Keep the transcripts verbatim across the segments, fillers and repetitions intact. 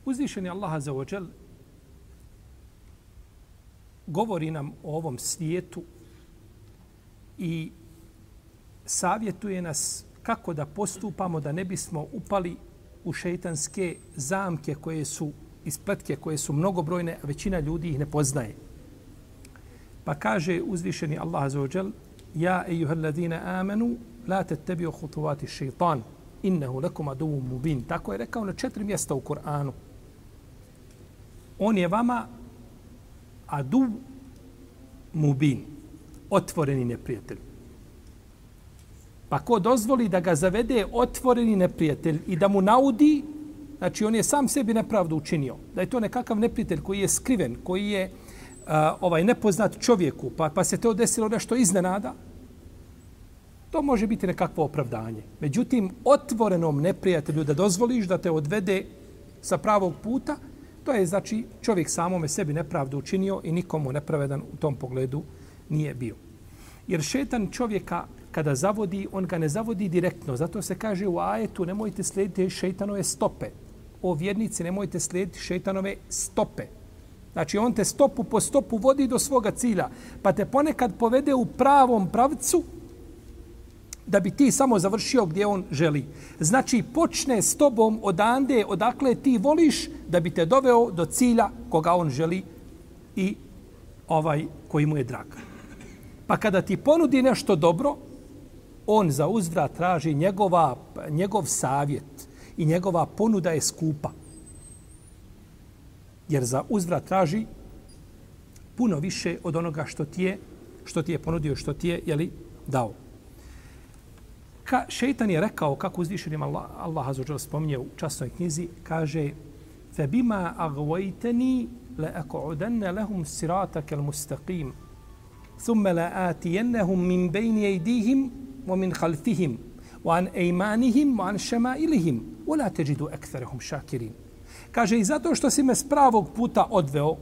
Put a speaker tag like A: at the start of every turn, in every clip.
A: Uzvišeni Allah azza wa džel govori nam o ovom svijetu i savjetuje nas kako da postupamo da ne bismo upali u šejtanske zamke koje su ispletke koje su mnogobrojne, a većina ljudi ih ne poznaje. Pa kaže uzvišeni Allah azza wa džel: Ja ejuhalladina amanu la tattabi'u khutuwati shaytan innahu lakum aduwwun mubin. Tako je rekao na četiri mjesta u Kur'anu. On je vama adu mubin, otvoreni neprijatelj. Pa ko dozvoli da ga zavede otvoreni neprijatelj i da mu naudi, znači on je sam sebi nepravdu učinio. Da je to nekakav neprijatelj koji je skriven, koji je uh, ovaj nepoznat čovjeku, pa, pa se to desilo nešto iznenada, to može biti nekakvo opravdanje. Međutim, otvorenom neprijatelju da dozvoliš da te odvede sa pravog puta, to je znači čovjek samome sebi nepravdu učinio i nikomu nepravedan u tom pogledu nije bio. Jer šetan čovjeka kada zavodi, on ga ne zavodi direktno. Zato se kaže u ajetu nemojte slijediti šejtanove stope. O vjernici, nemojte slijediti šejtanove stope. Znači on te stopu po stopu vodi do svoga cilja. Pa te ponekad povede u pravom pravcu da bi ti samo završio gdje on želi. Znači počne s tobom odande odakle ti voliš da bi te doveo do cilja koga on želi i ovaj koji mu je drag. Pa kada ti ponudi nešto dobro, on za uzvrat traži njegova, njegov savjet i njegova ponuda je skupa. Jer za uzvrat traži puno više od onoga što ti je, što ti je ponudio, što ti je, jeli, dao. Ka, šeitan je rekao, kako uzvišenim Allah, Allah azza wa dželle spominje u časnoj knjizi, kaže فَبِمَا أَغْوَيْتَنِي لَأَقْعُدَنَّ لَهُمْ صِرَاطَكَ الْمُسْتَقِيمِ ثُمَّ لَآتِيَنَّهُمْ مِنْ بَيْنِ أَيْدِيهِمْ وَمِنْ خَلْفِهِمْ وَعَنْ أَيْمَانِهِمْ وَعَنْ شَمَائِلِهِمْ وَلَا تَجِدُ أَكْثَرَهُمْ شَاكِرِينَ. Kaže, i zato što si me s pravog puta odveo,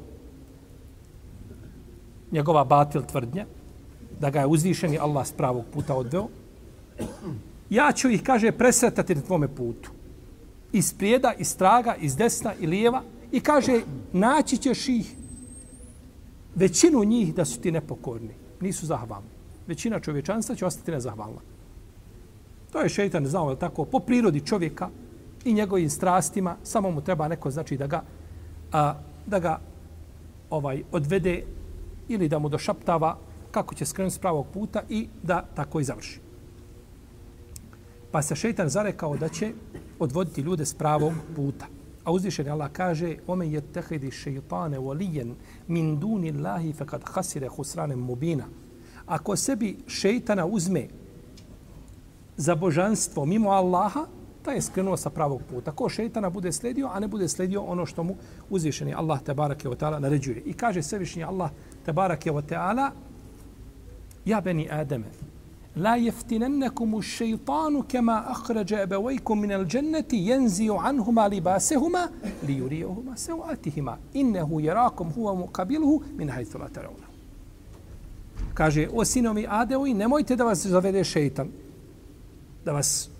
A: njegova batil tvrdnja, da ga je uzvišeni Allah s pravog puta odveo, ja ću ih, kaže, presretati na tvome putu. Iz prijeda, iz straga, iz desna i lijeva. I kaže, naći ćeš ih, većinu njih da su ti nepokorni. Nisu zahvalni. Većina čovječanstva će ostati nezahvalna. To je šejtan znao, je tako, po prirodi čovjeka i njegovim strastima, samo mu treba neko, znači, da ga, a, da ga ovaj odvede ili da mu došaptava kako će skrenuti s pravog puta i da tako i završi. Pa se šejtan zarekao da će odvoditi ljude s pravog puta. A uzvišeni Allah kaže: "Omen yattakhidi shaytana waliyan min duni Allahi faqad khasira khusranan mubina." Ako sebi šejtana uzme za božanstvo mimo Allaha, taj je skrenuo sa pravog puta. Ko šejtana bude sledio, a ne bude sledio ono što mu uzvišeni Allah tebareke ve taala naređuje. I kaže svevišnji Allah tebareke ve taala: "Ja bani Adame, la yaftinannakum ash-shaytanu kama akhraja abawaykum min al-jannati yanzi'u anhuma libasahuma liyuriyahuma sawatihima innahu yarakum huwa muqabiluhu min haythu la tarawna." Kaže: "O sinovi Adeovi, nemojte da vas zavede šejtan, da vas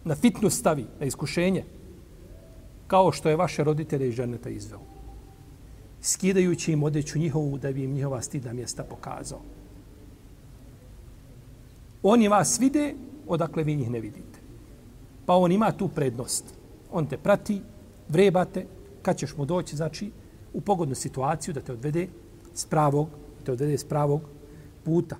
A: na fitnu stavi, na iskušenje, kao što je vaše roditelje iz dženneta izveo, skidajući im odeću njihovu da bi im njihova stidna mjesta pokazao. Oni vas vide, odakle vi njih ne vidite. Pa on ima tu prednost. On te prati, vrebate, kad ćeš mu doći, znači, u pogodnu situaciju da te odvede s pravog, te odvede s pravog puta."